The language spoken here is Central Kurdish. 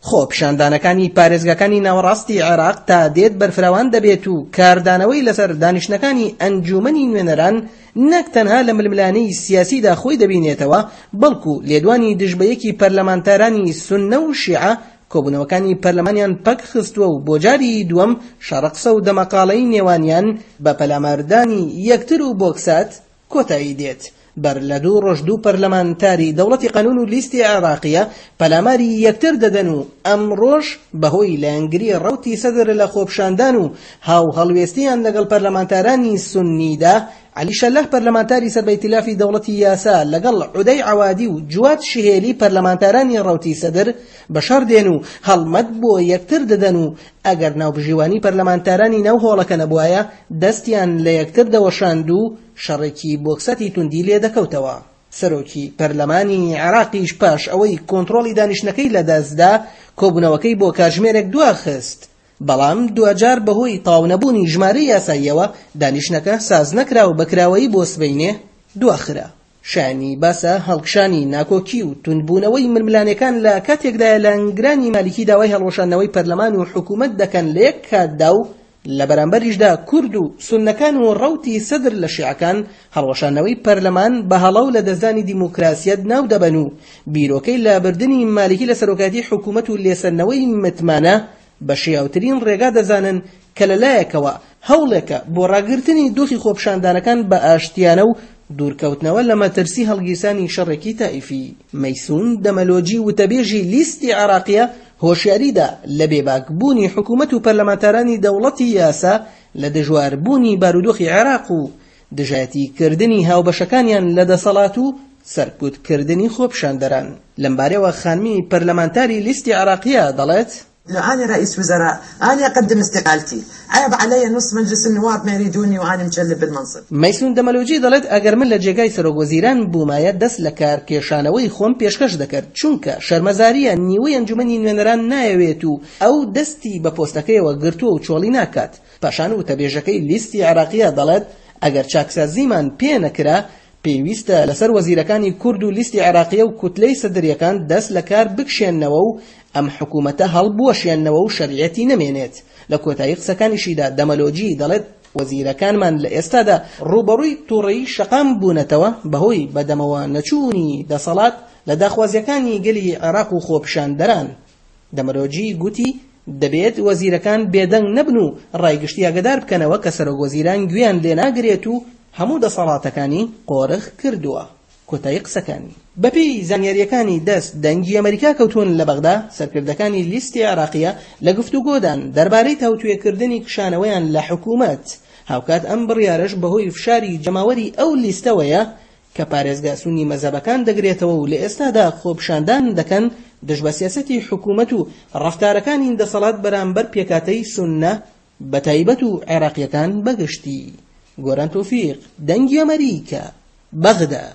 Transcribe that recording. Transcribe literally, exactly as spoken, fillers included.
خۆپیشاندانەکانی پارێزگاکانی ناوەڕاستی عێراق تا دێت بەرفراوان دەبێت و کاردانەوەی لەسەر دانیشتنەکانی ئەنجومەنی نوێنەران نەک تەنها لە ململانێی سیاسیدا خۆی دەبینێتەوە، بەڵکو لێدوانی دژبەیەکی پەرلەمانتارانی سوننە و شیعە کۆبوونەوەکانی پەرلەمانیان پەک خستووە و بۆ جاری دووەم شەڕەقسە و دەمەقاڵەی نێوانیان بە پەلاماردانی یەکتر و بۆکسات کۆتایی دێت. بەر لە دوو ڕۆژ دوو پەرلەمانتاری دەوڵەتی قانون و لیستی عێراقیە پەلاماری یەکتر دەدەن و ئەمڕۆژ بەهۆی لایەنگری ڕەوتی سەدر لە خۆپیشاندان و هاوهەڵوێستیان لەگەڵ پەرلەمانتارانی سوننیدا، عەلی شەلاح پەرلەمانتاری سەر بە ئیتلافی دەوڵەتی یاسا لەگەڵ عودەی عەوادی و جواد شهێلی پەرلەمانتارانی ڕەوتی سەدر بەشەڕ دێن و هەڵمەت بۆ یەکتر دەدەن و ئەگەر ناوبژیوانی پەرلەمانتارانی ناو هۆڵەکە نەبوایە دەستیان لە یەکتر دەوەشاند و شەڕێکی بۆکسەتی توندی لێ دەکەوتەوە. سەرۆکی پەرلەمانی عێراقیش پاش ئەوەی کۆنترۆڵی دانیشتنەکەی لەدەستدا کۆبوونەوەکەی بۆ کاتژمێرێک دواخست، بەڵام دواجار بەهۆی تەواونەبوونی ژمارەی یاساییەوە دانیشتنەکە ساز نەکرا و بەکراوەیی بۆ سبەینێ دواخرا. شایانی باسە هەڵکشانی ناکۆکی و توندبوونەوەی ململانێکان لە کاتێکدایە لایەنگرانی مالیکی داوای هەڵوەشاندنەوەی پەرلەمان و حکوومەت دەکەن لە یەک کاتدا و لە بەرامبەریشدا کورد و سوننەکان و ڕەوتی سەدر لە شیعەکان هەڵوەشاندنەوەی پەرلەمان بە هەڵە و لەدەستدانی دیموکراسیەت ناو دەبەن و بیرۆکەی لابردنی مالیکی لە سەرۆکایەتی حکوومەت و لێسەندنەوەی متمانە بە شیاوترین ڕێگا دەزانن کە لەلایەکەوە هەوڵێکە بۆ ڕاگرتنی دۆخی خۆپیشاندانەکان بە ئاشتیانە و دوورکەوتنەوە لە مەترسی هەڵگیرسانی شەڕێکی تائیفی. مەیسون دەمەلۆجی وتەبێژی لیستی عێراقیە هۆشیاریدا لە بێباکبوونی حکوومەت و پەرلەمانتارانی دەوڵەتی یاسا لە دژواربوونی بارودۆخی عێراق و دژایەتیکردنی هاوبەشەکانیان لە دەسەڵات و سەرکوتکردنی خۆپیشاندەران. لەمبارەوە خانمی پەرلەمانتاری لیستی عێراقیە دەڵێت: لو أنا رئيس وزراء أنا أقدم استقالتي، عيب علي نص مجلس النواب ما يريدوني وأنا مجلب بالمنصب. مەیسون دەمەلۆجی دەڵێت ئەگەر من لە جێگای سەرۆک وەزیران بوومایە دەست لە کارکێشانەوەی خۆم پێشکەش دەکرد، چونکە شەرمەزاریە نیوەی ئەنجومەنی نوێنەران نایەوێت و ئەو دەستی بە پۆستەکەیەوە گرتووە و چۆڵی ناکات. پاشان وتەبێژەکەی لیستی عێراقیە دەڵێت ئەگەر چاکسازیمان پێ نەکرا پێویستە لەسەر وەزیرەکانی کورد و لیستی عێراقیە و کوتلەی سەدریەکان دەست لە کار بکشێنەوە و ئەم حکوومەتە هەڵبوەشێنەوە و شەرعیەتی نەمێنێت. لە کۆتایی قسەکانیشیدا دەمەلۆجی دەڵێت وەزیرەکانمان لە ئێستادا ڕووبەڕووی تووڕەیی شەقام بوونەتەوە بەهۆی بەدەمەوە نەچوونی دەسەڵات لە داخوازیەکانی گەلی عێراق و خۆپیشاندەران. دەمەلۆجی گوتی دەبێت وەزیرەکان بێدەنگ نەبن و ڕایگشتی ئاگادار بکەنەوە کە سەرۆک وەزیران گوێیان لێناگرێت و هەموو دەسەڵاتەکانی قۆرخ کردووە. کۆتایی قسەکانی. بەپێی زانیاریەکانی دەست دەنگی ئەمریکا کەوتون لە بەغدا، سەرکردەکانی لیستی عێراقیە لە گفتوگۆدان دەربارەی تاوتوێکردنی کشانەوەیان لە حکوومەت. هاوکات ئەم بڕیارەش بەهۆی فشاری جەماوەری ئەو لیستەوەیە کە پارێزگا سونی مەزهەبەکان دەگرێتەوە و لە ئێستادا خۆپیشاندان دەکەن دژ بە سیاسەتی حکوومەت و ڕەفتارەکانی دەسەڵات بەرامبەر پێکهاتەی سوننە بە تایبەت و عێراقیەکان بەگشتی. گۆران تۆفیق، دەنگی ئەمریکا، بەغدا.